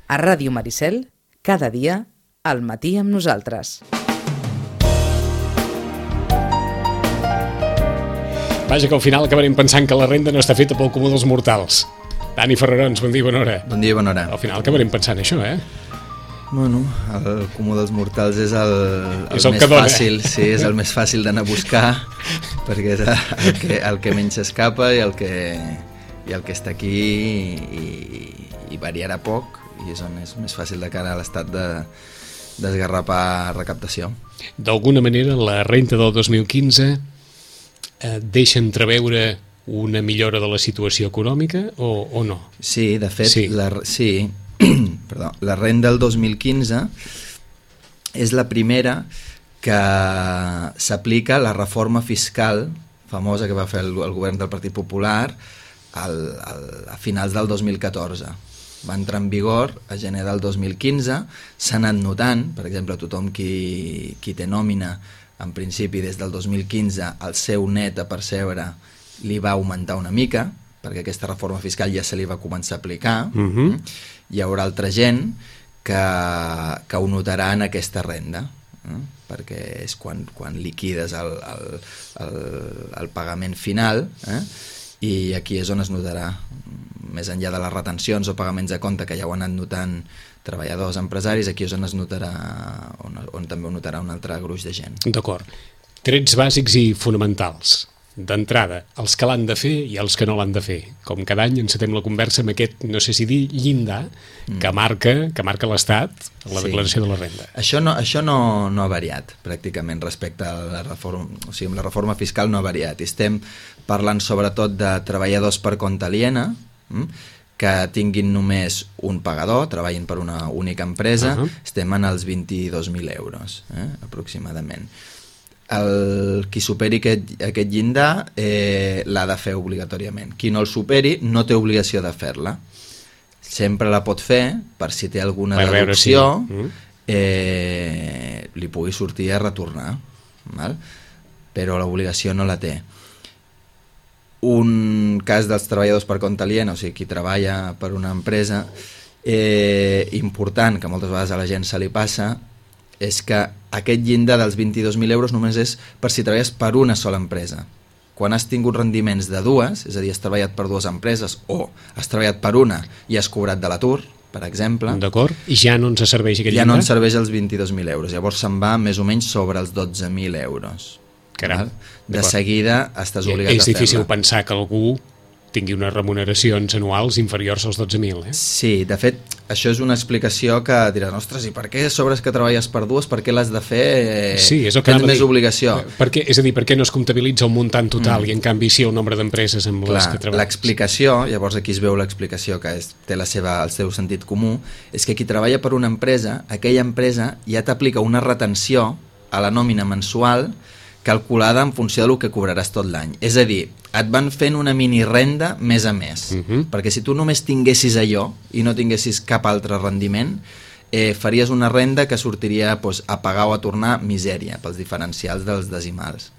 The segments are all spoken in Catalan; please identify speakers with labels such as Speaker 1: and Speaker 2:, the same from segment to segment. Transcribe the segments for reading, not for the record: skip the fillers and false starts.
Speaker 1: A Ràdio Maricel, cada dia, al matí amb nosaltres.
Speaker 2: Vaja, que al final acabarem pensant que la renda no està feta pel comú dels mortals. Dani Ferrarons, bon dia i bona hora.
Speaker 3: Bon dia i bona hora.
Speaker 2: Al final acabarem pensant això,
Speaker 3: Bueno, el comú dels mortals és el
Speaker 2: és
Speaker 3: més fàcil, sí, és el més fàcil d'anar a buscar, perquè és el que menys s'escapa i el que està aquí i variarà poc, i és on és més fàcil de cara a l'estat d'esgarrapar recaptació.
Speaker 2: D'alguna manera, la renta del 2015 deixa entreveure una millora de la situació econòmica o no?
Speaker 3: Sí, de fet,
Speaker 2: sí.
Speaker 3: La renda del 2015 és la primera que s'aplica la reforma fiscal famosa que va fer el govern del Partit Popular a finals del 2014. Va entrar en vigor a gener del 2015, s'ha anat notant, per exemple, tothom qui té nòmina, en principi des del 2015 el seu net a percebre li va augmentar una mica, perquè aquesta reforma fiscal ja se li va començar a aplicar. Hi haurà altra gent que ho notarà en aquesta renda, perquè és quan liquides el pagament final, i aquí és on es notarà, més enllà de les retencions o pagaments a compte que ja ho han anat notant treballadors, empresaris, aquí és on es notarà, on també ho notarà un altre gruix de gent.
Speaker 2: D'acord. Trets bàsics i fonamentals. D'entrada, els que l'han de fer i els que no l'han de fer. Com cada any encetem la conversa amb aquest, no sé si dir, llindar que marca l'Estat a la declaració de la renda.
Speaker 3: Això no ha variat, pràcticament, respecte a la reforma. O sigui, la reforma fiscal no ha variat. Estem parlant sobretot de treballadors per compte aliena, que tinguin només un pagador, treballin per una única empresa, estem en els 22.000 euros, aproximadament. Qui superi aquest llindar l'ha de fer obligatòriament. Qui no el superi no té obligació de fer-la. Sempre la pot fer per si té alguna deducció, li pugui sortir a retornar, val? Però l'obligació no la té. Un cas dels treballadors per compte aliena, o sigui, qui treballa per una empresa, important, que moltes vegades a la gent se li passa, és que aquest llindar dels 22.000 euros només és per si treballes per una sola empresa. Quan has tingut rendiments de dues, és a dir, has treballat per dues empreses o has treballat per una i has cobrat de l'atur, per exemple,
Speaker 2: d'acord, i ja no ens serveix aquest llindar?
Speaker 3: Ja no ens serveix els 22.000 euros, llavors se'n va més o menys sobre els 12.000 euros.
Speaker 2: Caram,
Speaker 3: de seguida estàs obligat a fer-la.
Speaker 2: És difícil pensar que algú tingui unes remuneracions anuals inferiors als 12.000,
Speaker 3: Sí, de fet, això és una explicació que diràs, ostres, i per què sobres que treballes per dues, per què l'has de fer?
Speaker 2: Sí, és el que
Speaker 3: tens més obligació.
Speaker 2: És a dir, per què no es comptabilitza el muntant total i en canvi sí el nombre d'empreses amb les que treballes?
Speaker 3: L'explicació, llavors aquí es veu l'explicació que té el seu sentit comú, és que qui treballa per una empresa, aquella empresa ja t'aplica una retenció a la nòmina mensual calculada en funció del que cobraràs tot l'any. És a dir, et van fent una mini renda mes a mes, perquè si tu només tinguessis allò i no tinguessis cap altre rendiment, faries una renda que sortiria a pagar o a tornar misèria pels diferencials dels decimals.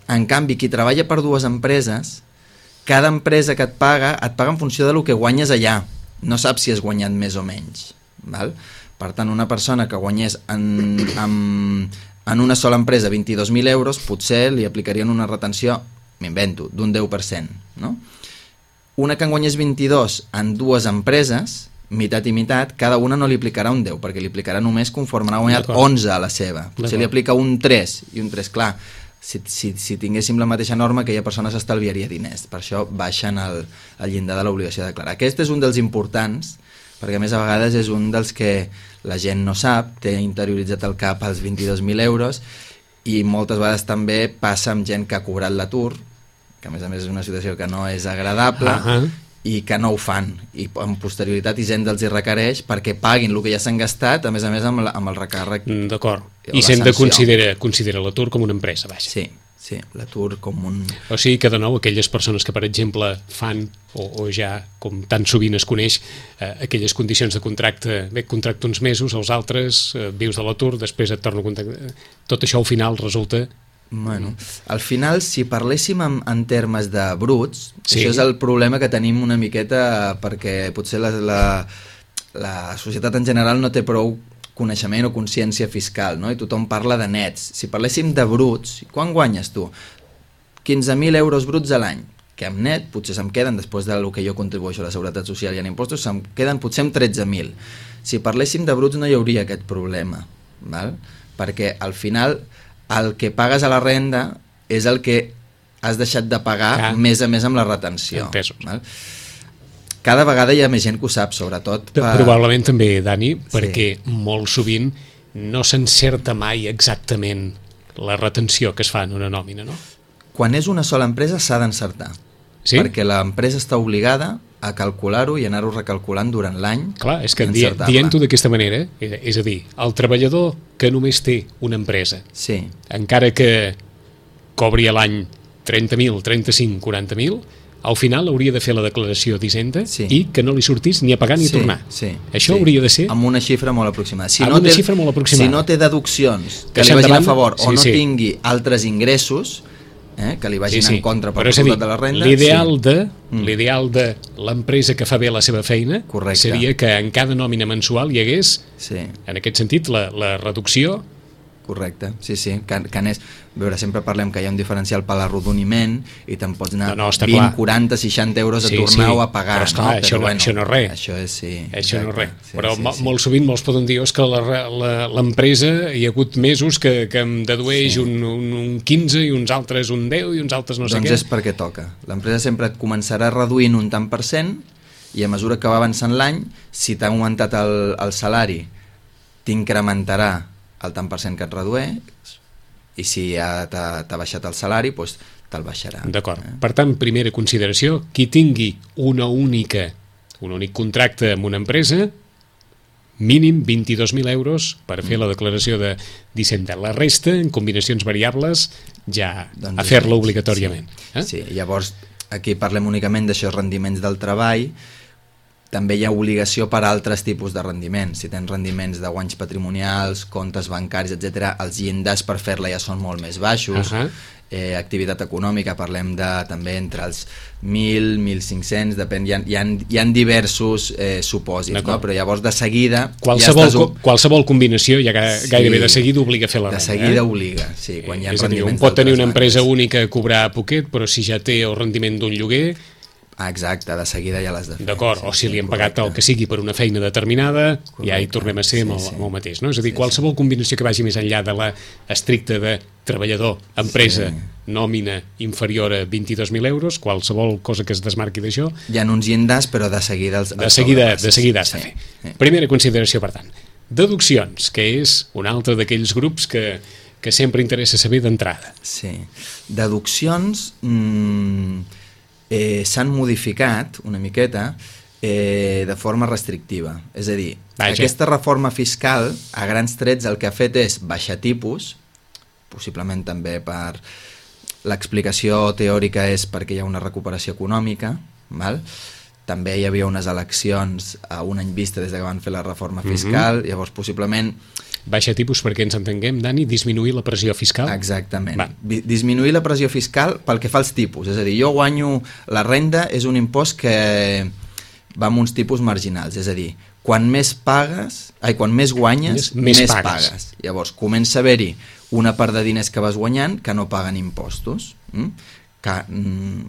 Speaker 3: En canvi, qui treballa per dues empreses, cada empresa que et paga en funció del que guanyes allà. No saps si has guanyat més o menys. Val? Per tant, una persona que guanyés en una sola empresa 22.000 euros, potser li aplicarien una retenció, m'invento, d'un 10%. No? Una que en guanyés 22 en dues empreses, meitat i meitat, cada una no li aplicarà un 10, perquè li aplicarà només conforme n'ha guanyat 11 a la seva. Potser li aplica un 3, i un 3, clar, si tinguéssim la mateixa norma, aquella persona s'estalviaria diners. Per això baixen el llindar de l'obligació de declarar. Aquest és un dels importants, perquè a més a vegades és un dels que la gent no sap, té interioritzat al cap els 22.000 euros, i moltes vegades també passa amb gent que ha cobrat l'atur, que a més és una situació que no és agradable, i que no ho fan, i en posterioritat i gent els hi requereix perquè paguin el que ja s'han gastat, a més amb el recàrrec.
Speaker 2: D'acord, i s'hem de considerar l'atur com una empresa, vaja.
Speaker 3: Sí, l'atur com un...
Speaker 2: O sigui que, de nou, aquelles persones que, per exemple, fan, o ja, com tan sovint es coneix, aquelles condicions de contracte, contracte uns mesos, els altres, vius de l'atur, després et torno a contractar... Tot això, al final, resulta
Speaker 3: Bueno, al final, si parléssim en termes de bruts, sí, això és el problema que tenim una miqueta, perquè potser la societat en general no té prou coneixement o consciència fiscal, no? I tothom parla de nets. Si parléssim de bruts, quan guanyes tu? 15.000 euros bruts a l'any, que amb net potser se'm queden, després del que jo contribueixo a la Seguretat Social i en impostos, se'm queden potser amb 13.000. Si parléssim de bruts no hi hauria aquest problema, val? Perquè al final el que pagues a la renda és el que has deixat de pagar més a més amb la retenció.
Speaker 2: En pesos.
Speaker 3: Val? Cada vegada hi ha més gent que ho sap, sobretot...
Speaker 2: Probablement també, Dani, perquè molt sovint no s'encerta mai exactament la retenció que es fa en una nòmina, no?
Speaker 3: Quan és una sola empresa s'ha d'encertar, perquè l'empresa està obligada a calcular-ho i anar-ho recalculant durant l'any.
Speaker 2: Clar, és que dient-ho d'aquesta manera, és a dir, el treballador que només té una empresa, encara que cobri a l'any 30.000, 35.000, 40.000, al final hauria de fer la declaració d'Hisenda i que no li sortís ni a pagar ni a tornar. Això hauria de ser...
Speaker 3: Amb una xifra molt aproximada. Si
Speaker 2: no
Speaker 3: té deduccions que li vagin a favor o no tingui altres ingressos que li vagin en contra per resultat de la renda...
Speaker 2: L'ideal de l'empresa que fa bé la seva feina seria que en cada nòmina mensual hi hagués, en aquest sentit, la reducció.
Speaker 3: Correcte, sí, que anés... A veure, sempre parlem que hi ha un diferencial per l'arrodoniment i te'n pots anar 20, 40, 60 euros a tornar-ho a pagar.
Speaker 2: Però esclar, això no és res.
Speaker 3: Això és,
Speaker 2: Això no és res. Però molt sovint molts poden dir que l'empresa hi ha hagut mesos que em dedueix un 15 i uns altres un 10 i uns altres no sé què.
Speaker 3: Doncs és perquè toca. L'empresa sempre et començarà reduint un tant per cent i a mesura que va avançant l'any, si t'ha augmentat el salari, t'incrementarà el tant per cent que et redueix, i si ja t'ha baixat el salari, doncs te'l baixarà.
Speaker 2: D'acord. Per tant, primera consideració, qui tingui un únic contracte amb una empresa, mínim 22.000 euros per fer la declaració d'Hisenda. La resta, en combinacions variables, ja a fer-la obligatòriament.
Speaker 3: Sí, llavors aquí parlem únicament d'això, rendiments del treball. També hi ha obligació per a altres tipus de rendiments. Si tens rendiments de guanys patrimonials, comptes bancaris, etc., els llindars per fer-la ja són molt més baixos. Activitat econòmica, parlem de també entre els 1.000, 1.500, depèn, hi ha diversos supòsits, no? Però llavors de seguida...
Speaker 2: Qualsevol combinació ja gairebé de seguida obliga a fer la renda.
Speaker 3: De seguida obliga, sí. Quan hi ha
Speaker 2: és a dir, un pot tenir una empresa única a cobrar poquet, però si ja té el rendiment d'un lloguer...
Speaker 3: Exacte, de seguida ja l'has de fer.
Speaker 2: D'acord, o si li han pagat el que sigui per una feina determinada, ja hi tornem a ser amb el mateix, no? És a dir, qualsevol combinació que vagi més enllà de la estricta de treballador, empresa, nòmina inferior a 22.000 euros, qualsevol cosa que es desmarqui d'això...
Speaker 3: Hi ha uns llindars, però de seguida...
Speaker 2: De seguida has de fer. Primera consideració, per tant. Deduccions, que és un altre d'aquells grups que sempre interessa saber d'entrada.
Speaker 3: Sí. Deduccions... s'han modificat una miqueta de forma restrictiva. És a dir, aquesta reforma fiscal, a grans trets, el que ha fet és baixar tipus, possiblement també per... L'explicació teòrica és perquè hi ha una recuperació econòmica, val? També hi havia unes eleccions a un any vista des que van fer la reforma fiscal, llavors possiblement...
Speaker 2: Baixa tipus perquè ens entenguem, Dani, disminuir la pressió fiscal?
Speaker 3: Exactament. Disminuir la pressió fiscal pel que fa als tipus. És a dir, jo guanyo... La renda és un impost que va amb uns tipus marginals. És a dir, quan més guanyes, més pagues. Llavors, comença a haver-hi una part de diners que vas guanyant que no paguen impostos, que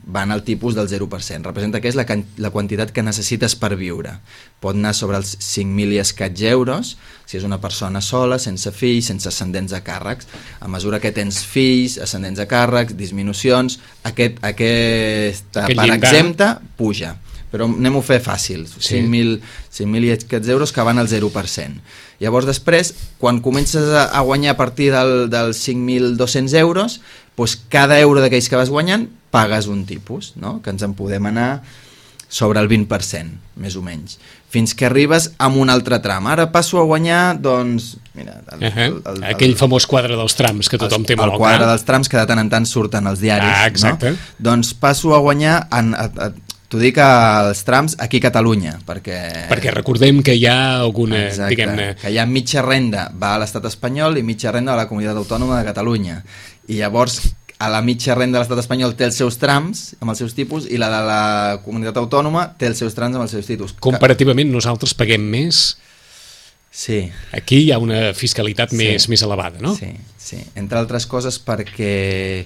Speaker 3: van al tipus del 0%. Representa que és la quantitat que necessites per viure. Pot anar sobre els 5.000 i escaig euros, si és una persona sola, sense fills, sense ascendents a càrrecs. A mesura que tens fills, ascendents a càrrecs, disminucions, aquesta part exempta puja. Però anem-ho a fer fàcil, 5.000 i escaig euros que van al 0%. Llavors després, quan comences a guanyar a partir dels 5.200 euros, doncs cada euro d'aquells que vas guanyant pagues un tipus, no? Que ens en podem anar sobre el 20%, més o menys, fins que arribes a un altre tram. Ara passo a guanyar, doncs... Mira,
Speaker 2: aquell famós quadre dels trams que tothom té molt
Speaker 3: clar. El quadre dels trams que de tant en tant surten als diaris.
Speaker 2: Exacte.
Speaker 3: No? Doncs passo a guanyar... T'ho dic als trams aquí a Catalunya, perquè
Speaker 2: recordem que hi ha alguna...
Speaker 3: Exacte, que hi ha mitja renda va a l'estat espanyol i mitja renda a la comunitat autònoma de Catalunya. I llavors a la mitja renda de l'estat espanyol té els seus trams amb els seus tipus i la de la comunitat autònoma té els seus trams amb els seus tipus.
Speaker 2: Comparativament nosaltres paguem més.
Speaker 3: Sí.
Speaker 2: Aquí hi ha una fiscalitat més elevada, no?
Speaker 3: Sí, sí. Entre altres coses perquè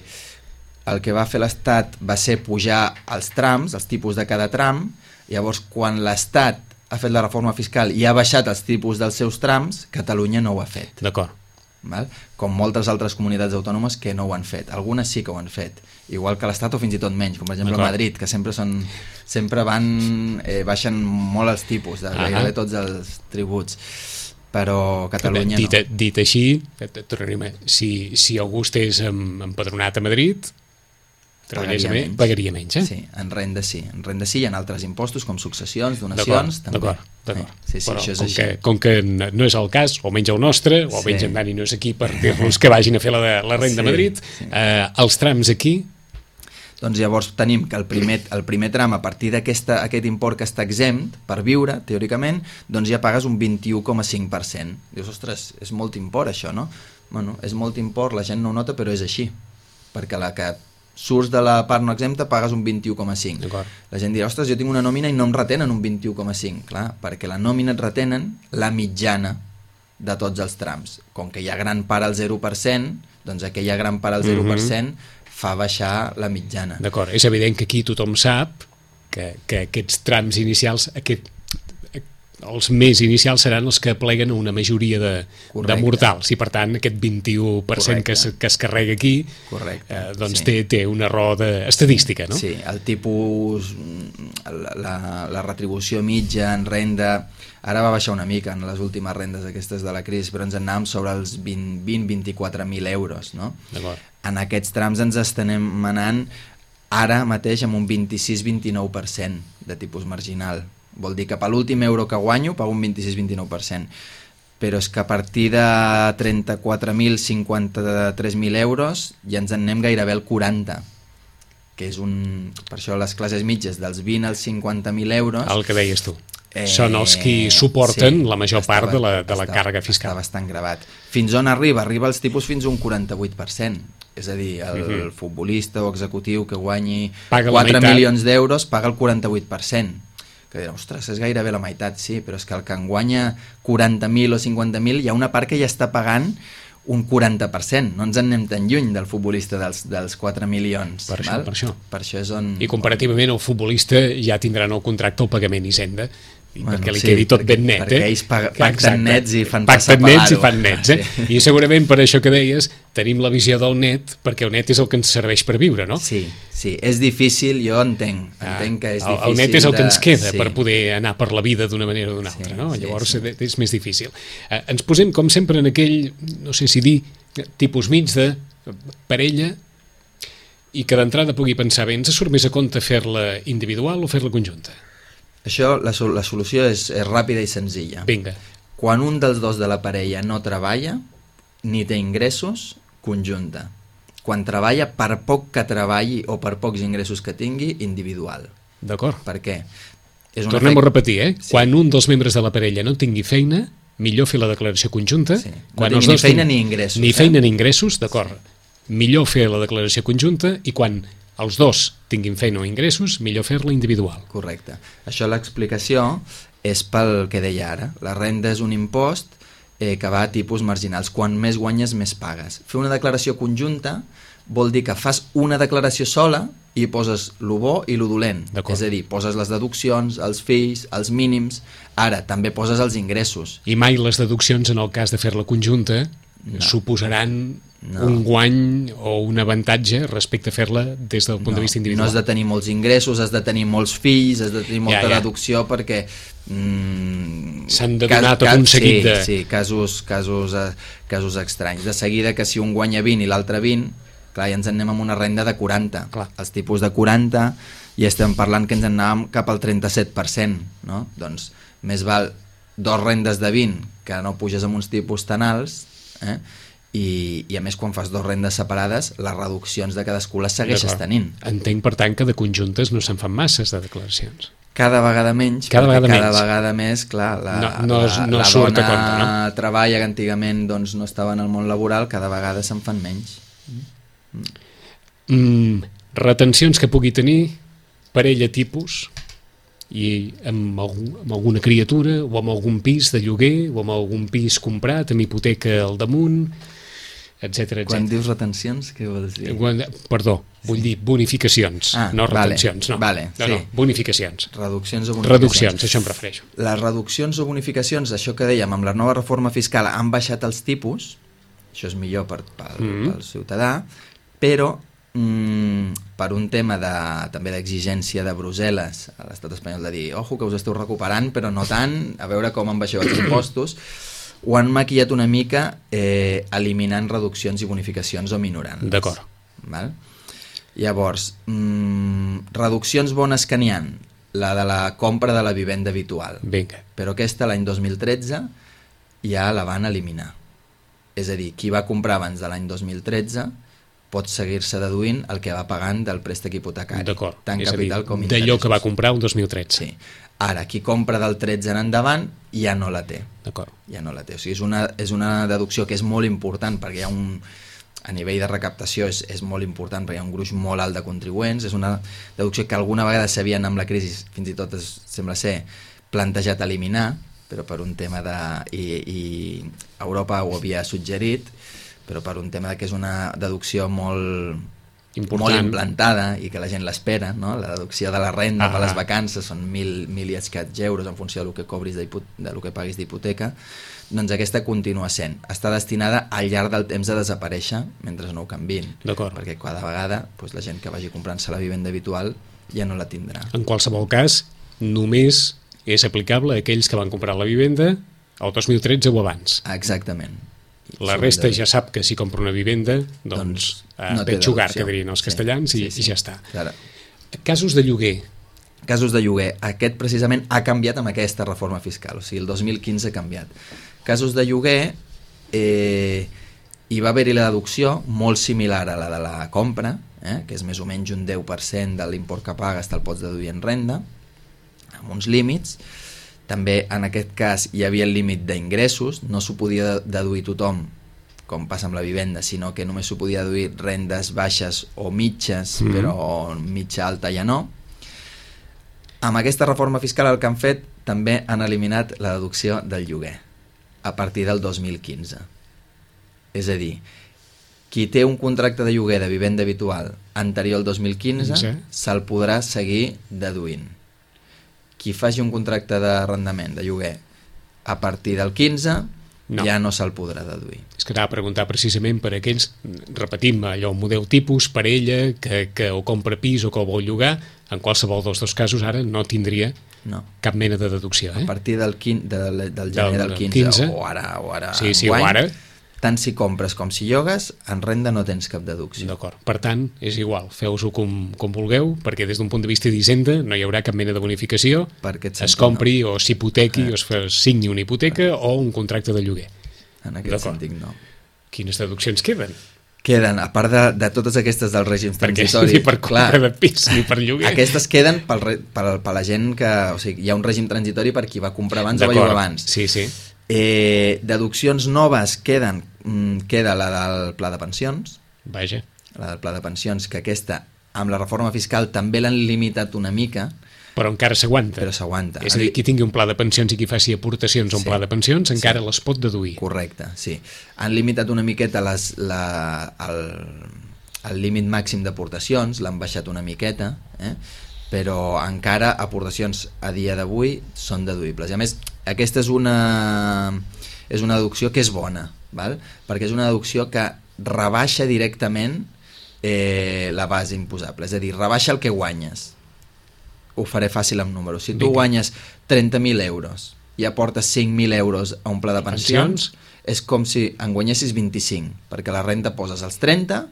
Speaker 3: el que va fer l'Estat va ser pujar els trams, els tipus de cada tram. Llavors, quan l'Estat ha fet la reforma fiscal i ha baixat els tipus dels seus trams, Catalunya no ho ha fet.
Speaker 2: D'acord.
Speaker 3: Val? Com moltes altres comunitats autònomes que no ho han fet. Algunes sí que ho han fet, igual que l'Estat o fins i tot menys, com per exemple Madrid, que sempre baixen molt els tipus de gairebé tots els tributs, però Catalunya no.
Speaker 2: Dit així, si algú estigués empadronat a Madrid, pagaria menys, eh?
Speaker 3: Sí, en renda sí, i en altres impostos com successions, donacions, també.
Speaker 2: D'acord.
Speaker 3: Sí,
Speaker 2: però
Speaker 3: això és així.
Speaker 2: Com que no és el cas, o menys el nostre, o almenys en Dani no és aquí per dir-los que vagin a fer la renda a Madrid, els trams aquí...
Speaker 3: Doncs llavors tenim que el primer tram, a partir d'aquest import que està exempt per viure, teòricament, doncs ja pagues un 21,5%. Dius, ostres, és molt import això, no? Bueno, és molt import, la gent no ho nota, però és així, perquè la que surts de la part no exempta pagues un 21,5. La gent dirà, ostres, jo tinc una nòmina i no em retenen un 21,5. Clar, perquè la nòmina et retenen la mitjana de tots els trams. Com que hi ha gran part al 0%, doncs aquella gran part al 0% fa baixar la mitjana.
Speaker 2: D'acord, és evident que aquí tothom sap que aquests trams inicials, els més inicials seran els que pleguen una majoria de mortals i per tant aquest 21% que es carrega aquí doncs té una raó estadística, no?
Speaker 3: Sí, el tipus, la retribució mitja en renda ara va baixar una mica en les últimes rendes aquestes de la crisi, però ens anàvem sobre els 20-24.000 euros, no? En aquests trams ens estem anant ara mateix amb un 26-29% de tipus marginal. Vol dir que per l'últim euro que guanyo pago un 26-29%. Però és que a partir de 34.000, 53.000 euros ja ens en anem gairebé al 40%, que és per això les classes mitges dels 20 als 50.000 euros...
Speaker 2: El que deies tu. Són els qui suporten la major part de la càrrega fiscal.
Speaker 3: Està bastant gravat. Fins on arriba? Arriba als tipus fins a un 48%. És a dir, el futbolista o executiu que guanyi 4 milions d'euros paga el 48%. Que dirà, ostres, és gairebé la meitat, sí, però és que el que en guanya 40.000 o 50.000 hi ha una part que ja està pagant un 40%, no ens en anem tan lluny del futbolista dels 4 milions.
Speaker 2: Per això
Speaker 3: és on...
Speaker 2: I comparativament el futbolista ja tindrà en el contracte el pagament Hisenda, perquè li quedi tot ben net.
Speaker 3: Perquè ells pacten nets i fan passar
Speaker 2: nets, I segurament per això que deies tenim la visió del net, perquè el net és el que ens serveix per viure, no?
Speaker 3: Sí, és difícil, jo entenc que és difícil.
Speaker 2: El net és el que ens queda per poder anar per la vida d'una manera o d'una altra, no? Llavors és més difícil. Ens posem, com sempre, en aquell, no sé si dir, tipus mig de parella i que d'entrada pugui pensar bé, ens surt més a compte fer-la individual o fer-la conjunta?
Speaker 3: Això, la solució és ràpida i senzilla.
Speaker 2: Vinga.
Speaker 3: Quan un dels dos de la parella no treballa ni té ingressos, conjunta. Quan treballa, per poc que treballi o per pocs ingressos que tingui, individual.
Speaker 2: D'acord.
Speaker 3: Per què?
Speaker 2: Tornem a repetir, Sí. Quan un dels membres de la parella no tingui feina, millor fer la declaració conjunta.
Speaker 3: Sí. No tingui ni feina ni ingressos.
Speaker 2: Ni feina ni ingressos, d'acord. Sí. Millor fer la declaració conjunta i quan els dos tinguin feina o ingressos, millor fer-la individual.
Speaker 3: Correcte. Això l'explicació és pel que deia ara. La renda és un impost que va a tipus marginals. Quan més guanyes, més pagues. Fer una declaració conjunta vol dir que fas una declaració sola i poses lo bo i lo dolent. És a dir, poses les deduccions, els fills, els mínims. Ara, també poses els ingressos.
Speaker 2: I mai les deduccions, en el cas de fer-la conjunta, suposaran un guany o un avantatge respecte a fer-la des del punt de vista individual.
Speaker 3: No has de tenir molts ingressos, has de tenir molts fills, has de tenir molta deducció perquè
Speaker 2: s'han de donar tot un seguit de...
Speaker 3: Sí, casos estranys. De seguida que si un guanya 20 i l'altre 20, clar, ja ens en anem amb una renda de 40.
Speaker 2: Clar.
Speaker 3: Els tipus de 40 i estem parlant que ens en anàvem cap al 37%, no? Doncs més val dos rendes de 20 que no puges amb uns tipus tan alts, i a més quan fas dos rendes separades les reduccions de cadascú les segueixes tenint.
Speaker 2: Entenc per tant que de conjuntes no se'n fan masses de declaracions.
Speaker 3: Cada vegada menys,
Speaker 2: cada
Speaker 3: vegada més, clar, la
Speaker 2: surt
Speaker 3: dona
Speaker 2: a compte, no?
Speaker 3: treballa que antigament doncs, no estava en el món laboral, cada vegada se'n fan menys.
Speaker 2: Retencions que pugui tenir parella tipus i amb alguna criatura o amb algun pis de lloguer o amb algun pis comprat amb hipoteca al damunt, etc.
Speaker 3: Quan dius retencions, què vols dir?
Speaker 2: Perdó, vull dir bonificacions, no retencions. No, bonificacions.
Speaker 3: Reduccions o bonificacions.
Speaker 2: Reduccions, això em refereixo.
Speaker 3: Les reduccions o bonificacions, això que dèiem, amb la nova reforma fiscal han baixat els tipus, això és millor pel ciutadà, però per un tema també d'exigència de Brussel·les a l'estat espanyol de dir, ojo que us esteu recuperant però no tant, a veure com en baixeu els impostos, ho han maquillat una mica eliminant reduccions i bonificacions o minorant-les.
Speaker 2: D'acord.
Speaker 3: Val? Llavors, reduccions bones que n'hi ha, la de la compra de la vivenda habitual.
Speaker 2: Vinga.
Speaker 3: Però aquesta l'any 2013 ja la van eliminar. És a dir, qui va comprar abans de l'any 2013 pot seguir-se deduint el que va pagant del préstec hipotecari.
Speaker 2: D'acord.
Speaker 3: Tant
Speaker 2: és
Speaker 3: capital
Speaker 2: a dir,
Speaker 3: com interessos.
Speaker 2: d'allò que va comprar el 2013.
Speaker 3: Sí. Ara, qui compra del 13 en endavant ja no la té.
Speaker 2: D'acord.
Speaker 3: Ja no la té. O sigui, és una deducció que és molt important perquè hi ha a nivell de recaptació és molt important perquè hi ha un gruix molt alt de contribuents, és una deducció que alguna vegada s'havien amb la crisi, fins i tot sembla ser, plantejat eliminar, però per un tema i Europa ho havia suggerit, però per un tema que és una deducció molt implantada i que la gent l'espera, no? La deducció de la renda per les vacances són 1.000 i escaig euros en funció del que cobris del que paguis d'hipoteca, doncs aquesta continua sent. Està destinada al llarg del temps a desaparèixer mentre no ho canviïn.
Speaker 2: D'acord.
Speaker 3: Perquè cada vegada la gent que vagi comprant-se la vivenda habitual ja no la tindrà.
Speaker 2: En qualsevol cas, només és aplicable a aquells que van comprar la vivenda el 2013 o abans.
Speaker 3: Exactament.
Speaker 2: La resta ja sap que si compra una vivenda, doncs
Speaker 3: no
Speaker 2: veig jugar, que dirien els castellans, i ja està.
Speaker 3: Claro.
Speaker 2: Casos de lloguer.
Speaker 3: Casos de lloguer. Aquest precisament ha canviat amb aquesta reforma fiscal, o sigui, el 2015 ha canviat. Casos de lloguer, hi va haver-hi la deducció molt similar a la de la compra, que és més o menys un 10% de l'import que pagues te'l pots deduir en renda, amb uns límits. També en aquest cas hi havia el límit d'ingressos, no s'ho podia deduir tothom, com passa amb la vivenda, sinó que només s'ho podia deduir rendes baixes o mitges, però mitja alta ja no. Amb aquesta reforma fiscal el que han fet també han eliminat la deducció del lloguer a partir del 2015. És a dir, qui té un contracte de lloguer de vivenda habitual anterior al 2015 se'l podrà seguir deduint. Qui faci un contracte d'arrendament, de lloguer, a partir del 15 ja no se'l podrà deduir.
Speaker 2: És que anava a preguntar precisament per aquells, repetim, allò, un model tipus, parella, que o compra pis o que ho vol llogar, en qualsevol dels dos casos ara no tindria cap mena de deducció.
Speaker 3: A partir del gener del 15 o ara
Speaker 2: o ara,
Speaker 3: tant si compres com si llogues, en renda no tens cap deducció.
Speaker 2: D'acord. Per tant, és igual, feu-ho com vulgueu, perquè des d'un punt de vista d'Hisenda no hi haurà cap mena de bonificació, es compri o s'hipotequi o es signi una hipoteca o un contracte de lloguer.
Speaker 3: En aquest sentit, no.
Speaker 2: Quines deduccions queden?
Speaker 3: Queden, a part de totes aquestes dels règims transitoris...
Speaker 2: Ni per compra de pis ni per lloguer.
Speaker 3: Aquestes queden per la gent que... O sigui, hi ha un règim transitori per qui va comprar abans o va llogar abans.
Speaker 2: Sí.
Speaker 3: Deduccions noves queda la del pla de pensions.
Speaker 2: Vaja.
Speaker 3: La del pla de pensions, que aquesta, amb la reforma fiscal, també l'han limitat una mica.
Speaker 2: Però encara s'aguanta.
Speaker 3: Però s'aguanta.
Speaker 2: És a dir, qui tingui un pla de pensions i qui faci aportacions a un pla de pensions encara les pot deduir.
Speaker 3: Correcte, sí. Han limitat una miqueta el límit màxim d'aportacions, l'han baixat una miqueta, però encara aportacions a dia d'avui són deduïbles. I a més, aquesta és una deducció que és bona, val? Perquè és una deducció que rebaixa directament la base imposable, és a dir, rebaixa el que guanyes. Ho faré fàcil amb números. Si tu guanyes 30.000 euros i aportes 5.000 euros a un pla de pensions, és com si en guanyessis 25, perquè la renda poses els 30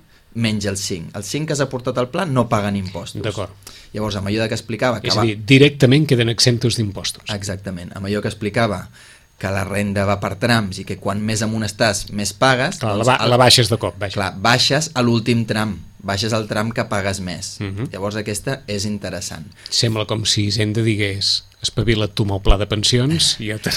Speaker 3: menys els 5. Els 5 que has aportat al pla no paguen impostos.
Speaker 2: D'acord.
Speaker 3: Llavors, amb allò que explicava...
Speaker 2: És a dir, directament queden exemptos d'impostos.
Speaker 3: Exactament. Amb allò que explicava que la renda va per trams i que quan més amunt estàs, més pagues...
Speaker 2: Clar, la baixes de cop.
Speaker 3: Clar, baixes a l'últim tram. baixes el tram que pagues més. Llavors aquesta és interessant.
Speaker 2: Sembla com si Hisenda digués espavila't tu amb el pla de pensions i ja te...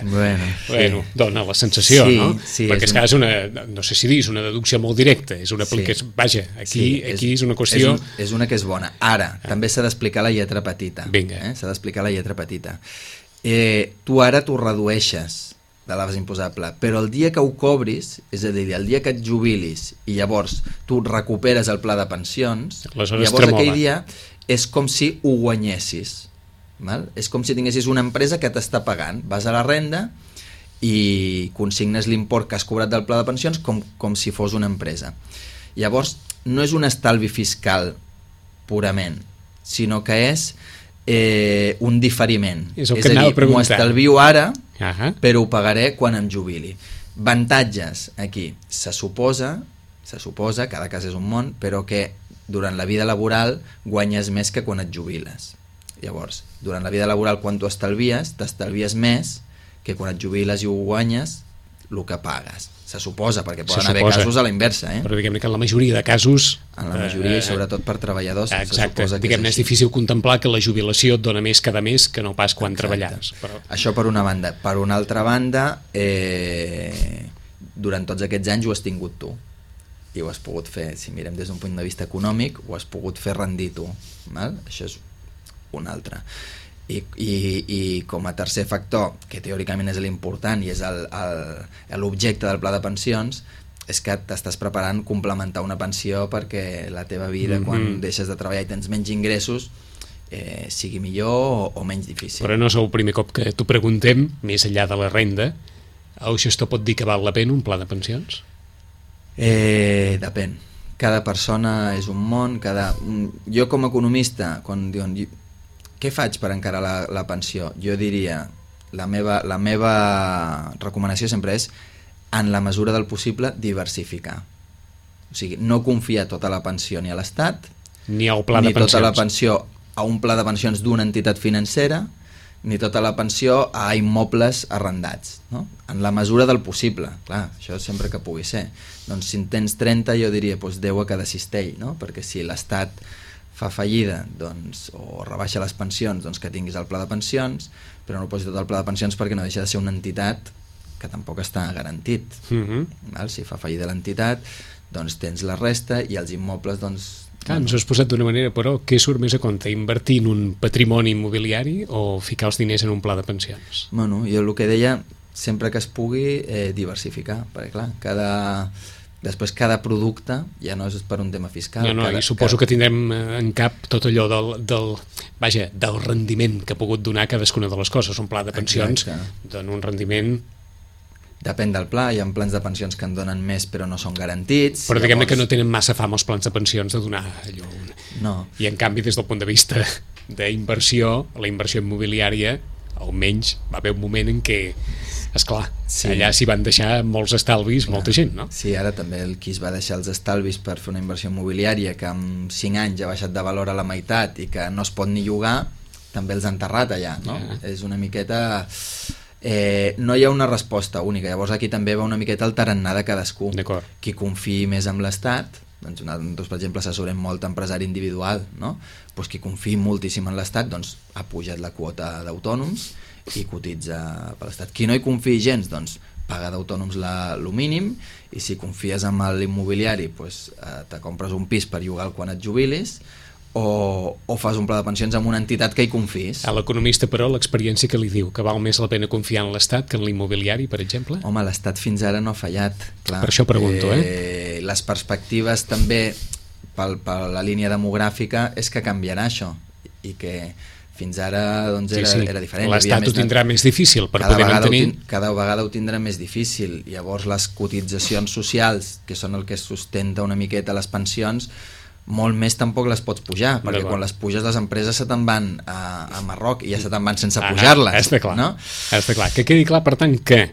Speaker 2: Bueno, dona la sensació,
Speaker 3: sí,
Speaker 2: no?
Speaker 3: Sí,
Speaker 2: perquè és una, no sé si dir, és una deducció molt directa, és una aplicació, vaja, aquí és una qüestió...
Speaker 3: És una que és bona. Ara, també s'ha d'explicar la lletra petita.
Speaker 2: Vinga.
Speaker 3: S'ha d'explicar la lletra petita. Tu ara t'ho redueixes de la base imposable, però el dia que ho cobris, és a dir, el dia que et jubilis i llavors tu recuperes el pla de pensions, llavors aquell dia és com si ho guanyessis. Val? És com si tinguessis una empresa que t'està pagant. Vas a la renda i consignes l'import que has cobrat del pla de pensions com si fos una empresa. Llavors, no és un estalvi fiscal purament, sinó que és un diferiment.
Speaker 2: És a dir,
Speaker 3: m'ho estalvio ara, però ho pagaré quan em jubili. Avantatges, aquí, se suposa, cada cas és un món, però que durant la vida laboral guanyes més que quan et jubiles. Llavors, durant la vida laboral, quan tu t'estalvies més que quan et jubiles i ho guanyes, el que pagues. Se suposa, perquè poden haver casos a la inversa.
Speaker 2: Però diguem-ne que en la majoria de casos...
Speaker 3: En la majoria, i sobretot per treballadors,
Speaker 2: exacte, diguem-ne, és difícil contemplar que la jubilació et dona més cada mes que no pas quan treballaràs. Però...
Speaker 3: Això per una banda. Per una altra banda, durant tots aquests anys ho has tingut tu. I ho has pogut fer, si mirem des d'un punt de vista econòmic, ho has pogut fer rendir tu. Val? Això és un altre. I com a tercer factor, que teòricament és l'important i és l'objecte del pla de pensions, és que t'estàs preparant complementar una pensió perquè la teva vida, quan deixes de treballar i tens menys ingressos, sigui millor o menys difícil.
Speaker 2: Però no és el primer cop que t'ho preguntem, més enllà de la renda, el gestor pot dir que val la pena un pla de pensions?
Speaker 3: Depèn. Cada persona és un món, jo com a economista, quan diuen què faig per encarar la pensió? Jo diria, la meva recomanació sempre és, en la mesura del possible, diversificar. O sigui, no confiar tota la pensió ni a l'Estat,
Speaker 2: ni al pla de pensions,
Speaker 3: ni tota la pensió a un pla de pensions d'una entitat financera, ni tota la pensió a immobles arrendats, no? En la mesura del possible, clar, això sempre que pugui ser. Doncs si en tens 30, jo diria 10 a cada cistell, no? Perquè si l'Estat fa fallida, doncs, o rebaixa les pensions, doncs que tinguis el pla de pensions, però no posis tot el pla de pensions perquè no deixa de ser una entitat que tampoc està garantit. Val? Si fa fallida l'entitat, doncs tens la resta i els immobles, doncs...
Speaker 2: Ens ho has posat d'una manera, però què surt més a compte? Invertir en un patrimoni immobiliari o ficar els diners en un pla de pensions?
Speaker 3: Bueno, jo el que deia, sempre que es pugui, diversificar, perquè clar, després cada producte ja no és per un tema fiscal.
Speaker 2: I suposo que tindrem en cap tot allò del rendiment que ha pogut donar cadascuna de les coses. Un pla de pensions dona un rendiment...
Speaker 3: Depèn del pla, hi ha plans de pensions que en donen més però no són garantits.
Speaker 2: Però diguem-ne que no tenen massa fama els plans de pensions de donar allò.
Speaker 3: No.
Speaker 2: I en canvi, des del punt de vista d'inversió, la inversió immobiliària, almenys va haver un moment en què, esclar, allà s'hi van deixar molts estalvis, molta gent, no?
Speaker 3: Sí, ara també qui es va deixar els estalvis per fer una inversió immobiliària que en 5 anys ha baixat de valor a la meitat i que no es pot ni llogar, també els han enterrat allà, no? És una miqueta... no hi ha una resposta única, llavors aquí també va una miqueta el tarannà de cadascú. Qui confiï més en l'Estat, doncs nosaltres, per exemple, assessorem molt empresari individual, no? Doncs qui confiï moltíssim en l'Estat, doncs ha pujat la quota d'autònoms i cotitza per l'Estat. Qui no hi confiï gens, doncs paga d'autònoms el mínim, i si confies en l'immobiliari, doncs te compres un pis per llogar quan et jubilis, o fas un pla de pensions amb una entitat que hi confis.
Speaker 2: A l'economista, però, l'experiència que li diu que val més la pena confiar en l'Estat que en l'immobiliari, per exemple?
Speaker 3: Home, l'Estat fins ara no ha fallat. Clar.
Speaker 2: Per això pregunto,
Speaker 3: Les perspectives també per la línia demogràfica és que canviarà això, i que fins ara doncs, era diferent.
Speaker 2: L'Estat ho tindrà més difícil per poder mantenir...
Speaker 3: Cada vegada ho tindrà més difícil. Llavors les cotitzacions socials, que són el que sustenta una miqueta les pensions, molt més tampoc les pots pujar, perquè quan les puges les empreses se te'n van a Marroc i ja se te'n van sense pujar-les.
Speaker 2: Està clar,
Speaker 3: no?
Speaker 2: Està clar. Que quedi clar, per tant, que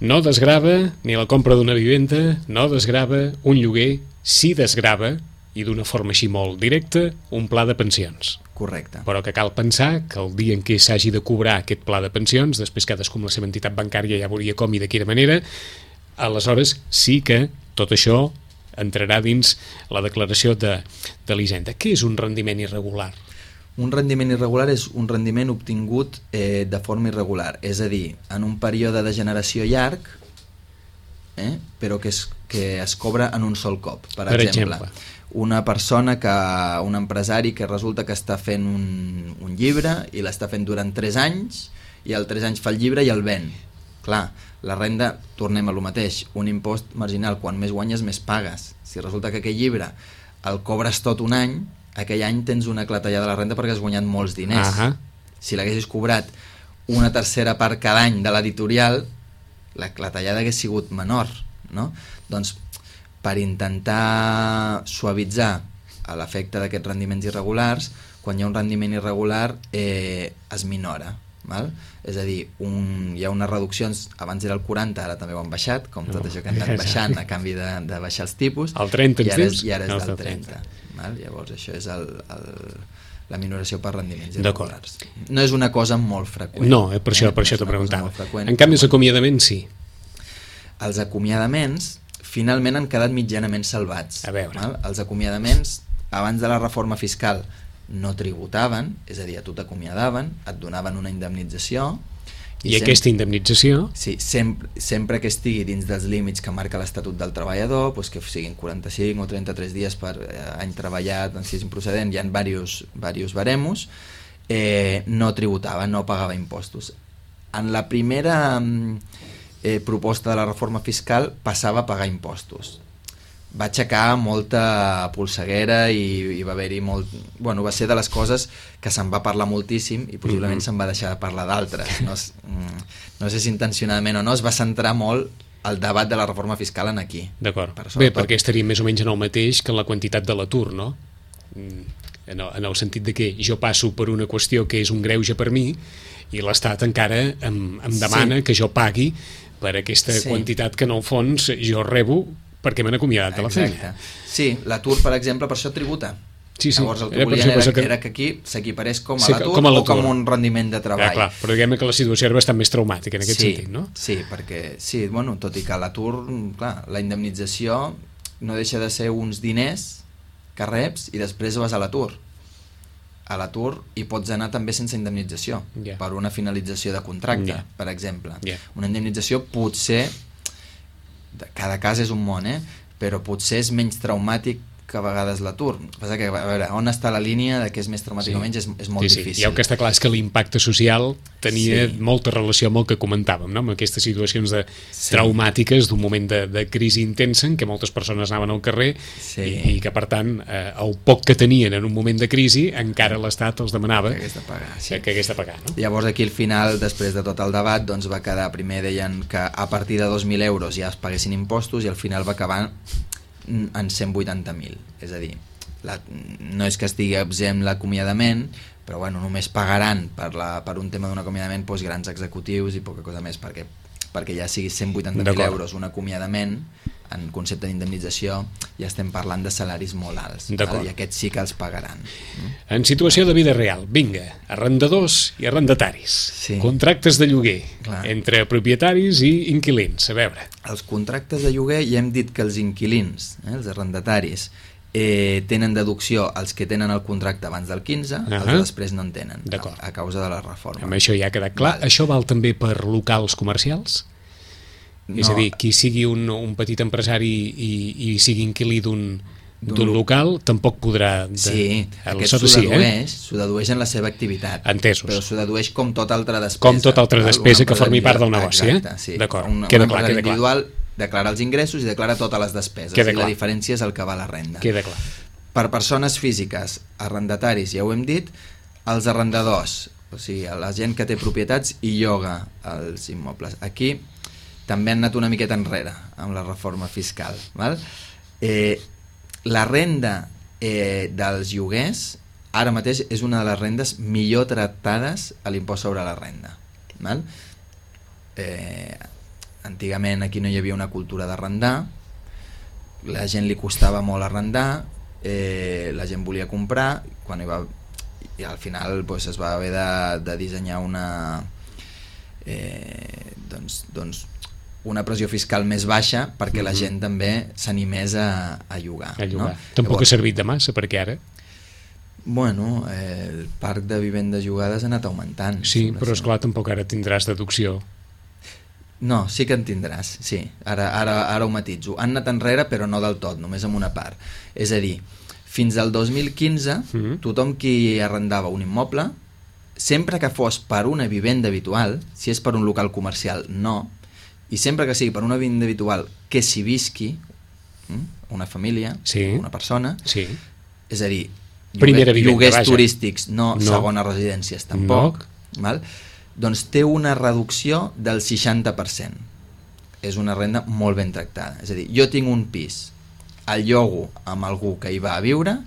Speaker 2: no desgrava ni la compra d'una vivenda, no desgrava un lloguer, sí desgrava, i d'una forma així molt directa, un pla de pensions.
Speaker 3: Correcte.
Speaker 2: Però que cal pensar que el dia en què s'hagi de cobrar aquest pla de pensions, després cadascú amb la seva entitat bancària ja veuria com i de quina manera, aleshores sí que tot això entrarà dins la declaració de l'Hisenda. Què és un rendiment irregular?
Speaker 3: Un rendiment irregular és un rendiment obtingut de forma irregular, és a dir, en un període de generació llarg, però que es cobra en un sol cop. Per exemple, una persona, un empresari que resulta que està fent un llibre i l'està fent durant 3 anys i al 3 anys fa el llibre i el ven. Clar, la renda, tornem a lo mateix, un impost marginal, quan més guanyes més pagues. Si resulta que aquell llibre el cobres tot un any, aquell any tens una clatellada de la renda perquè has guanyat molts diners. Si l'haguessis cobrat una tercera part cada any de l'editorial, la clatellada hagués sigut menor, no? Doncs per intentar suavitzar l'efecte d'aquests rendiments irregulars, quan hi ha un rendiment irregular es minora, val? És a dir, hi ha unes reduccions, abans era el 40, ara també ho han baixat, com tot això que han anat baixant a canvi de baixar els tipus,
Speaker 2: el 30
Speaker 3: i ara és del 30. Val? Llavors això és la minoració per rendiments irregulars. No és una cosa molt freqüent.
Speaker 2: No, per això t'ho preguntava. En canvi, els acomiadaments sí.
Speaker 3: Els acomiadaments finalment han quedat mitjanament salvats.
Speaker 2: A veure.
Speaker 3: Val? Els acomiadaments, abans de la reforma fiscal, no tributaven, és a dir, a tu t'acomiadaven, et donaven una indemnització.
Speaker 2: I aquesta indemnització?
Speaker 3: Sí, sempre que estigui dins dels límits que marca l'Estatut del Treballador, doncs que siguin 45 o 33 dies per any treballat, si és improcedent, hi ha diversos baremos, no tributava, no pagava impostos. En la primera proposta de la reforma fiscal passava a pagar impostos. Va aixecar molta polseguera i va haver-hi molt... Bueno, va ser de les coses que se'n va parlar moltíssim i possiblement se'n va deixar de parlar d'altres. No sé si intencionadament o no, es va centrar molt el debat de la reforma fiscal en aquí.
Speaker 2: D'acord. Bé, perquè estaria més o menys en el mateix que en la quantitat de l'atur, no? En el sentit de que jo passo per una qüestió que és un greuge per mi i l'Estat encara em demana que jo pagui per aquesta quantitat que en el fons jo rebo perquè m'han acomiadat de la feina.
Speaker 3: Sí, l'atur, per exemple, per això tributa. Llavors el que volien era que aquí s'equiparés com a l'atur o com un rendiment de treball.
Speaker 2: Clar, però diguem que la situació era bastant més traumàtica en aquest sentit, no?
Speaker 3: Sí, perquè, tot i que l'atur, clar, la indemnització no deixa de ser uns diners que reps i després vas a l'atur. A l'atur hi pots anar també sense indemnització, per una finalització de contracte, per exemple. Una indemnització potser, cada cas és un món, però potser és menys traumàtic que a vegades l'atur. Passa que, a veure, on està la línia de què és més traumàtic o menys és molt difícil.
Speaker 2: I el que està clar és que l'impacte social tenia molta relació amb el que comentàvem, no? Amb aquestes situacions traumàtiques d'un moment de crisi intensa en què moltes persones anaven al carrer i que, per tant, el poc que tenien en un moment de crisi encara l'Estat els demanava que hagués de pagar. No?
Speaker 3: Llavors aquí al final, després de tot el debat, doncs va quedar, primer deien que a partir de 2.000 euros ja es paguessin impostos i al final va acabar en 180.000, és a dir, no és que estigui exempt l'acomiadament, però bueno, només pagaran per un tema d'un acomiadament grans executius i poca cosa més, perquè ja sigui 180.000 euros un acomiadament, en concepte d'indemnització ja estem parlant de salaris molt alts, i aquests sí que els pagaran.
Speaker 2: En situació de vida real, vinga, arrendadors i arrendataris, contractes de lloguer entre propietaris i inquilins, a veure.
Speaker 3: Els contractes de lloguer ja hem dit que els inquilins, els arrendataris, tenen deducció els que tenen el contracte abans del 15, els després no en tenen, a causa de la reforma.
Speaker 2: Amb això ja ha quedat clar. Això val també per locals comercials? És a dir, qui sigui un petit empresari i sigui inquilí d'un local tampoc podrà...
Speaker 3: Sí, aquest s'ho dedueix en la seva activitat.
Speaker 2: Entesos.
Speaker 3: Però s'ho dedueix com tota altra despesa.
Speaker 2: Com tota altra despesa que formi part del negoci, D'acord, queda clar.
Speaker 3: Un individual declara els ingressos i declara totes les despeses. I la diferència és el que va a la renda.
Speaker 2: Queda clar.
Speaker 3: Per persones físiques, arrendataris, ja ho hem dit, els arrendadors, o sigui, la gent que té propietats i lloga els immobles. Aquí també han anat una miqueta enrere amb la reforma fiscal. Val? La renda dels lloguers ara mateix és una de les rendes millor tractades a l'impost sobre la renda. Val? Antigament aquí no hi havia una cultura d'arrendar, la gent li costava molt arrendar, la gent volia comprar, i al final es va haver de dissenyar una pressió fiscal més baixa perquè la gent també s'animés a llogar. No?
Speaker 2: Tampoc ha servit de massa, perquè ara...
Speaker 3: Bueno, el parc de vivendes llogades ha anat augmentant.
Speaker 2: Sí, però esclar, tampoc ara tindràs deducció.
Speaker 3: No, sí que en tindràs, sí. Ara ho matitzo. Han anat enrere, però no del tot, només amb una part. És a dir, fins al 2015, tothom qui arrendava un immoble, sempre que fos per una vivenda habitual, si és per un local comercial, no, i sempre que sigui per una vivenda habitual que s'hi visqui, una família, una persona, és a dir, lloguers turístics, no segones residències tampoc, val? Doncs té una reducció del 60%. És una renda molt ben tractada. És a dir, jo tinc un pis, el llogo amb algú que hi va a viure,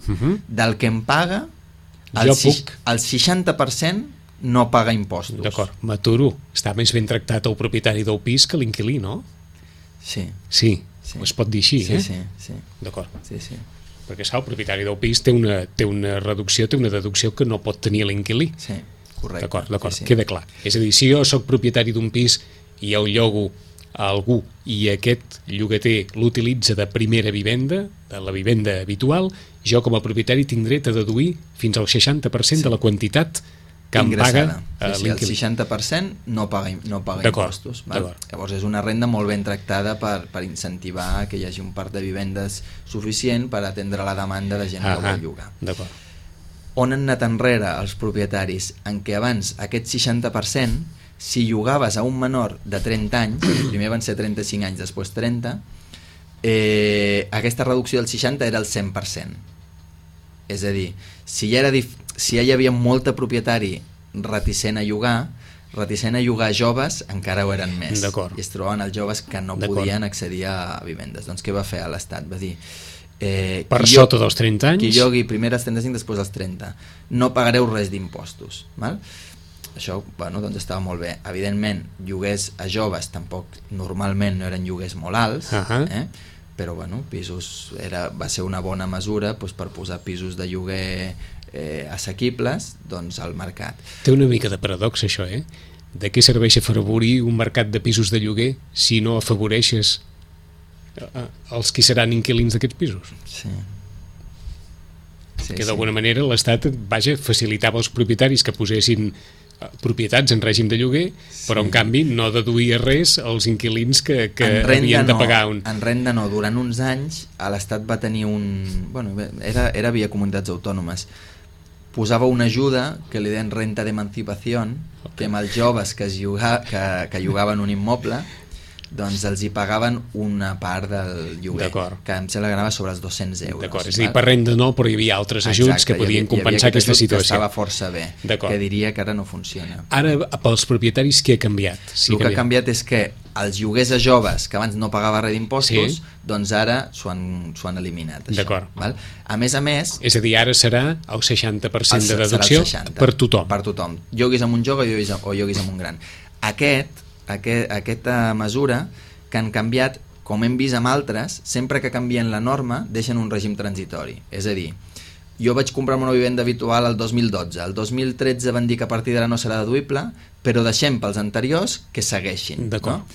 Speaker 3: del que em paga, el 60% no paga impostos.
Speaker 2: D'acord, m'aturo. Està més ben tractat el propietari del pis que l'inquilí, no?
Speaker 3: Sí.
Speaker 2: Sí, es pot dir així,
Speaker 3: Sí.
Speaker 2: D'acord.
Speaker 3: Sí.
Speaker 2: Perquè el propietari del pis té una reducció, té una deducció que no pot tenir l'inquilí.
Speaker 3: Sí, correcte.
Speaker 2: D'acord, queda clar. És a dir, si jo sóc propietari d'un pis i el llogo a algú i aquest llogater l'utilitza de primera vivenda, de la vivenda habitual, jo com a propietari tindré de deduir fins al 60% de la quantitat que em paga l'inquilí.
Speaker 3: El 60% no paga impostos. Llavors és una renda molt ben tractada per incentivar que hi hagi un parc de vivendes suficient per atendre la demanda de gent que vol llogar. On han anat enrere els propietaris? En què abans aquest 60%, si llogaves a un menor de 30 anys, primer van ser 35 anys, després 30, aquesta reducció del 60 era el 100%. És a dir, si ja hi havia molt de propietari reticent a llogar joves, encara ho eren més. I es trobaven els joves que no podien accedir a vivendes. Doncs què va fer l'Estat? Va dir,
Speaker 2: per sota dels 30 anys,
Speaker 3: qui llogui primer als 35, després als 30, no pagareu res d'impostos. Això doncs estava molt bé. Evidentment, lloguers a joves tampoc normalment no eren lloguers molt alts, però pisos va ser una bona mesura per posar pisos de lloguer assequibles al mercat.
Speaker 2: Té una mica de paradoxa això, De què serveix afavorir un mercat de pisos de lloguer si no afavoreixes els qui seran inquilins d'aquests pisos?
Speaker 3: Sí.
Speaker 2: Que d'alguna manera l'Estat facilitava als propietaris que posessin propietats en règim de lloguer, però en canvi no deduïa res als inquilins que havien de pagar
Speaker 3: En renda no, durant uns anys l'Estat va tenir era via comunitats autònomes, posava una ajuda que li deien renta d'emancipació, que amb els joves que llogaven un immoble doncs els hi pagaven una part del lloguer, que em sembla que anava sobre els 200 euros.
Speaker 2: D'acord, és a dir, per renda no, però hi havia altres ajuts que podien compensar aquesta situació.
Speaker 3: Estava força bé, que diria que ara no funciona.
Speaker 2: Ara, pels propietaris, què ha canviat?
Speaker 3: El que ha canviat és que els lloguers a joves, que abans no pagava res d'impostos, doncs ara s'ho han eliminat.
Speaker 2: D'acord.
Speaker 3: A més,
Speaker 2: és a dir, ara serà el 60% de deducció per tothom.
Speaker 3: Per tothom. Lloguis amb un jove o lloguis amb un gran. Aquesta mesura que han canviat, com hem vist amb altres, sempre que canvien la norma deixen un règim transitori. És a dir, jo vaig comprar una vivenda habitual el 2012, el 2013 van dir que a partir d'ara no serà deduïble, però deixem pels anteriors que segueixin.
Speaker 2: D'acord.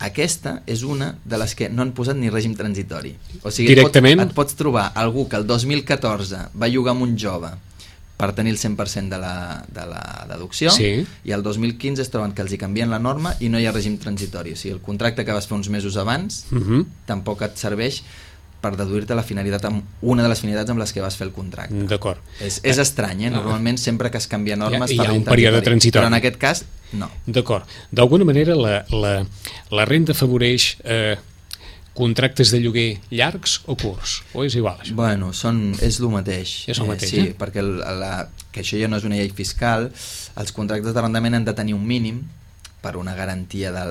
Speaker 3: Aquesta és una de les que no han posat ni règim transitori. O sigui,
Speaker 2: directament
Speaker 3: et pots trobar algú que el 2014 va llogar amb un jove per tenir el 100% de la deducció, i el 2015 es troben que els hi canvien la norma i no hi ha règim transitori. O sigui, el contracte que vas fer uns mesos abans tampoc et serveix per deduir-te la finalitat una de les finalitats amb les que vas fer el contracte.
Speaker 2: D'acord.
Speaker 3: És estrany, normalment sempre que es canvia normes
Speaker 2: hi ha un període transitori,
Speaker 3: però en aquest cas no.
Speaker 2: D'acord. D'alguna manera la renda afavoreix contractes de lloguer llargs o curts? O és igual, això?
Speaker 3: Bueno, és el mateix.
Speaker 2: És el mateix,
Speaker 3: sí, perquè que això ja no és una llei fiscal, els contractes d'arrendament han de tenir un mínim per una garantia de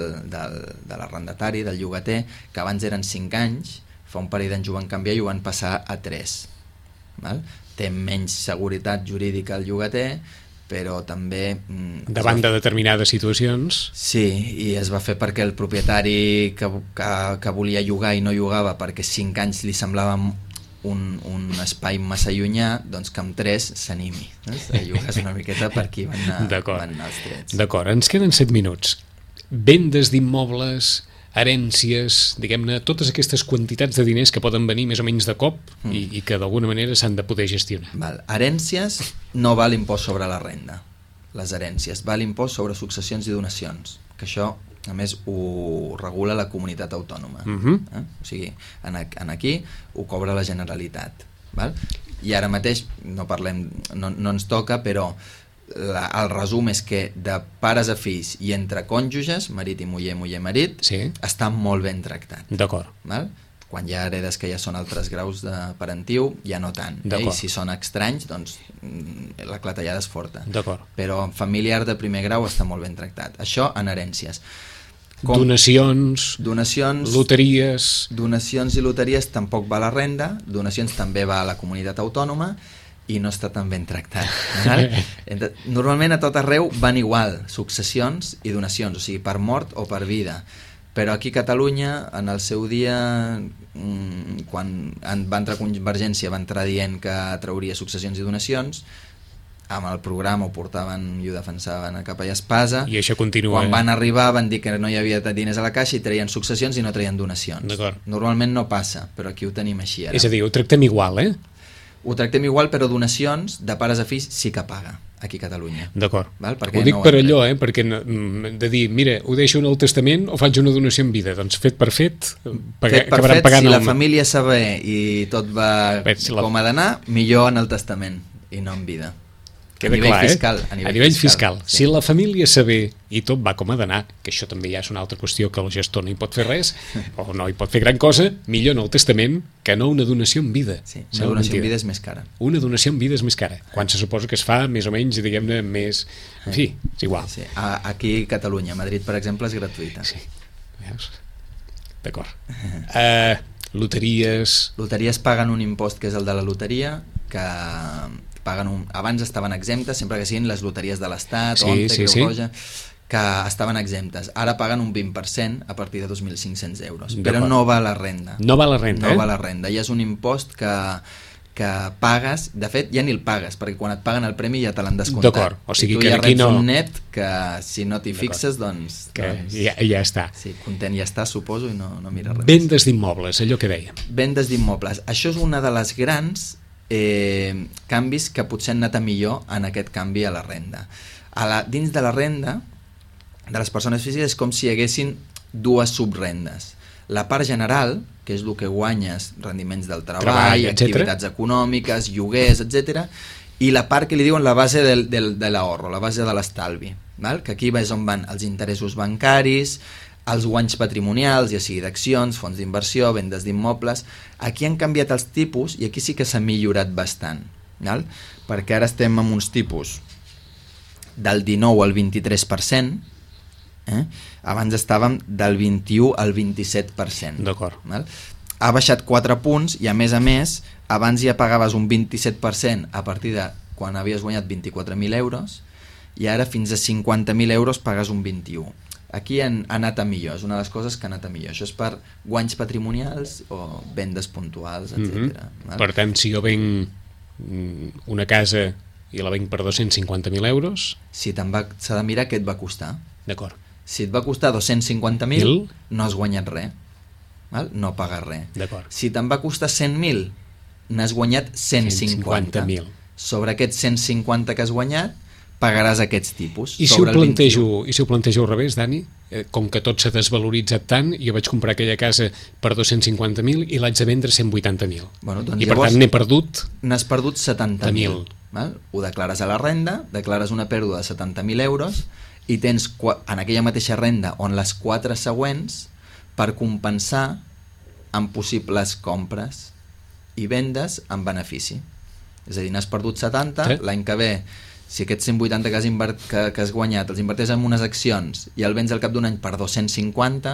Speaker 3: l'arrendatari, del llogater, que abans eren 5 anys, fa un parell d'anys ho van canviar i ho van passar a 3. Té menys seguretat jurídica el llogater, però també...
Speaker 2: davant de determinades situacions...
Speaker 3: Sí, i es va fer perquè el propietari que volia llogar i no llogava perquè 5 anys li semblava un espai massa llunyà, doncs que amb 3 s'animi. Llogues una miqueta per aquí van anar els trets.
Speaker 2: D'acord, ens queden 7 minuts. Vendes d'immobles herències, diguem-ne, totes aquestes quantitats de diners que poden venir més o menys de cop i que d'alguna manera s'han de poder gestionar.
Speaker 3: Val. Herències no va l'impost sobre la renda. Les herències va l'impost sobre successions i donacions, que això a més ho regula la comunitat autònoma. O sigui, aquí ho cobra la Generalitat. Val? I ara mateix no ens toca, però el resum és que de pares a fills i entre cònjuges, marit i muller, muller-marit, està molt ben tractat.
Speaker 2: D'acord.
Speaker 3: Val? Quan hi ha heredes que ja són altres graus de parentiu, ja no tant. I si són estranys, doncs la clatellada és forta. Però familiar de primer grau està molt ben tractat. Això en herències.
Speaker 2: Donacions, loteries...
Speaker 3: Donacions i loteries tampoc va a la renda, donacions també va a la comunitat autònoma i no està tan ben tractat. Normalment a tot arreu van igual, successions i donacions, o sigui, per mort o per vida. Però aquí a Catalunya, en el seu dia, quan va entrar Convergència, va entrar dient que trauria successions i donacions, amb el programa ho portaven i ho defensaven a capa i espasa.
Speaker 2: I això continua.
Speaker 3: Quan van arribar van dir que no hi havia diners a la caixa i traien successions i no traien donacions. Normalment no passa, però aquí ho tenim així ara.
Speaker 2: És a dir, ho tractem igual,
Speaker 3: Ho tractem igual, però donacions de pares a fills sí que paga aquí a Catalunya.
Speaker 2: D'acord. Ho dic per allò, perquè de dir, mira, ho deixo en el testament o faig una donació en vida? Doncs fet per fet,
Speaker 3: si la família saber i tot va com ha d'anar, millor en el testament i no en vida. A nivell fiscal.
Speaker 2: Sí. Si la família saber i tot va com ha d'anar, que això també ja és una altra qüestió que el gestor no hi pot fer res o no hi pot fer gran cosa, millor en el testament que no una donació en vida.
Speaker 3: Sí, una donació en vida és més cara.
Speaker 2: Una donació en vida és més cara, quan se suposa que es fa més o menys, diguem-ne, més... En fi, és igual.
Speaker 3: Sí. Aquí a Catalunya, a Madrid, per exemple, és gratuïta.
Speaker 2: Sí, veus? D'acord. Loteries...
Speaker 3: Loteries paguen un impost que és el de la loteria, que... abans estaven exemptes, sempre que siguin les loteries de l'Estat, Creu Roja, que estaven exemptes. Ara paguen un 20% a partir de 2.500 euros. Però no va a la renda.
Speaker 2: No va a la renda,
Speaker 3: No va a la renda. I és un impost que pagues, de fet ja ni el pagues, perquè quan et paguen el premi ja te l'han descomptat.
Speaker 2: D'acord, o sigui
Speaker 3: que
Speaker 2: ja
Speaker 3: reps un net que si no t'hi fixes, doncs
Speaker 2: ja està.
Speaker 3: Sí, content ja està, suposo, i no mira res.
Speaker 2: Vendes d'immobles, allò que dèiem.
Speaker 3: Vendes d'immobles. Això és una de les grans canvis que potser han anat a millor en aquest canvi a la renda. Dins de la renda de les persones físiques és com si hi haguessin dues subrendes. La part general, que és el que guanyes, rendiments del treball, activitats econòmiques, lloguers, etc. I la part que li diuen la base de l'ahorro, la base de l'estalvi, que aquí és on van els interessos bancaris, els guanys patrimonials, ja sigui d'accions, fons d'inversió, vendes d'immobles. Aquí han canviat els tipus i aquí sí que s'ha millorat bastant, perquè ara estem amb uns tipus del 19 al 23%, abans estàvem del 21 al 27%.
Speaker 2: D'acord.
Speaker 3: Ha baixat 4 punts i a més, abans ja pagaves un 27% a partir de quan havies guanyat 24.000 euros i ara fins a 50.000 euros pagues un 21%. Aquí han anat a millor, és una de les coses que ha anat a millor. Això és per guanys patrimonials o vendes puntuals, etc.
Speaker 2: Per tant, si jo venc una casa i la venc per 250.000 euros...
Speaker 3: S'ha de mirar què et va costar.
Speaker 2: D'acord.
Speaker 3: Si et va costar 250.000, no has guanyat res. No pagues res.
Speaker 2: D'acord.
Speaker 3: Si te'n va costar 100.000, n'has guanyat 150.000. Sobre aquests 150 que has guanyat, pagaràs aquests tipus.
Speaker 2: I si ho plantejo al revés, Dani, com que tot s'ha desvaloritzat tant, jo vaig comprar aquella casa per 250.000 i l'haig de vendre 180.000. I per tant n'he perdut...
Speaker 3: N'has perdut 70.000. Ho declares a la renda, declares una pèrdua de 70.000 euros i tens en aquella mateixa renda on les 4 següents per compensar amb possibles compres i vendes amb benefici. És a dir, n'has perdut 70, l'any que ve si aquests 180 que has guanyat els inverteix en unes accions i el vens al cap d'un any per 250,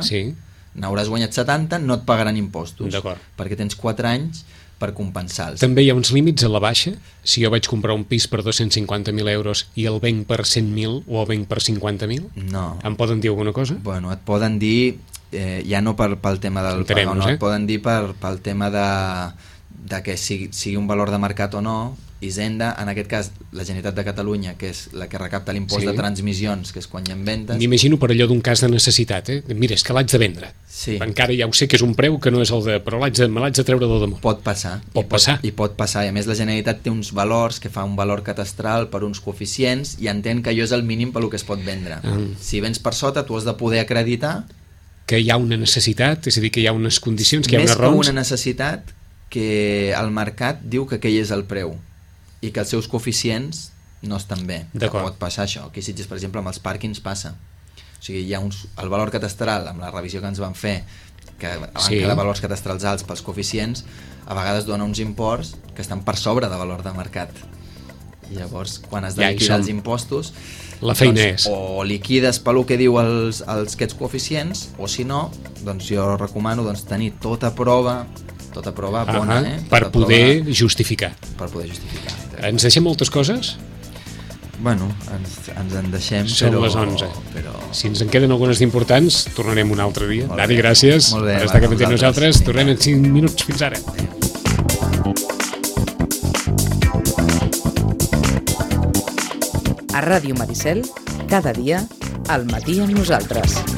Speaker 3: n'hauràs guanyat 70, no et pagaran impostos, perquè tens 4 anys per compensar-los.
Speaker 2: També hi ha uns límits a la baixa? Si jo vaig comprar un pis per 250.000 euros i el venc per 100.000 o el venc per 50.000?
Speaker 3: No.
Speaker 2: Em poden dir alguna cosa?
Speaker 3: Bueno, et poden dir, ja no pel tema del pagar, no, et poden dir pel tema de que sigui un valor de mercat o no, Hisenda, en aquest cas la Generalitat de Catalunya, que és la que recapta l'impost de transmissions, que és quan hi ha vendes.
Speaker 2: M'imagino per allò d'un cas de necessitat, Mira, és que l'haig de vendre.
Speaker 3: Sí.
Speaker 2: Encara ja ho sé que és un preu que no és el de... però me l'haig de treure del damunt.
Speaker 3: Pot passar.
Speaker 2: Pot passar.
Speaker 3: I pot passar. I a més la Generalitat té uns valors, que fa un valor catastral per uns coeficients, i entén que allò és el mínim per lo que es pot vendre. Si vens per sota, tu has de poder acreditar
Speaker 2: que hi ha una necessitat, és a dir, que hi ha unes condicions, que hi ha unes
Speaker 3: raons.
Speaker 2: raons.
Speaker 3: Més que una necessitat, que el mercat diu que aquell és el preu i que els seus coeficients no estan bé. Pot passar això. Aquí a Sitges, per exemple, amb els pàrquings passa. O sigui, hi ha el valor catastral, amb la revisió que ens van fer, que van quedar valors catastrals alts pels coeficients, a vegades dona uns imports que estan per sobre de valor de mercat. I llavors, quan has de liquidar els impostos,
Speaker 2: la feina és
Speaker 3: o liquides pel que diu aquests coeficients, o si no, doncs jo recomano tenir tota prova bona,
Speaker 2: per poder justificar.
Speaker 3: Per poder justificar.
Speaker 2: Ens deixem moltes coses?
Speaker 3: Bueno, ens en deixem,
Speaker 2: Són les 11. Però... Si ens en queden algunes d'importants, tornarem un altre dia. Dani, gràcies per estar aquí amb nosaltres. Tornem en 5 minuts. Fins ara.
Speaker 1: A Ràdio Maricel, cada dia, al matí amb nosaltres.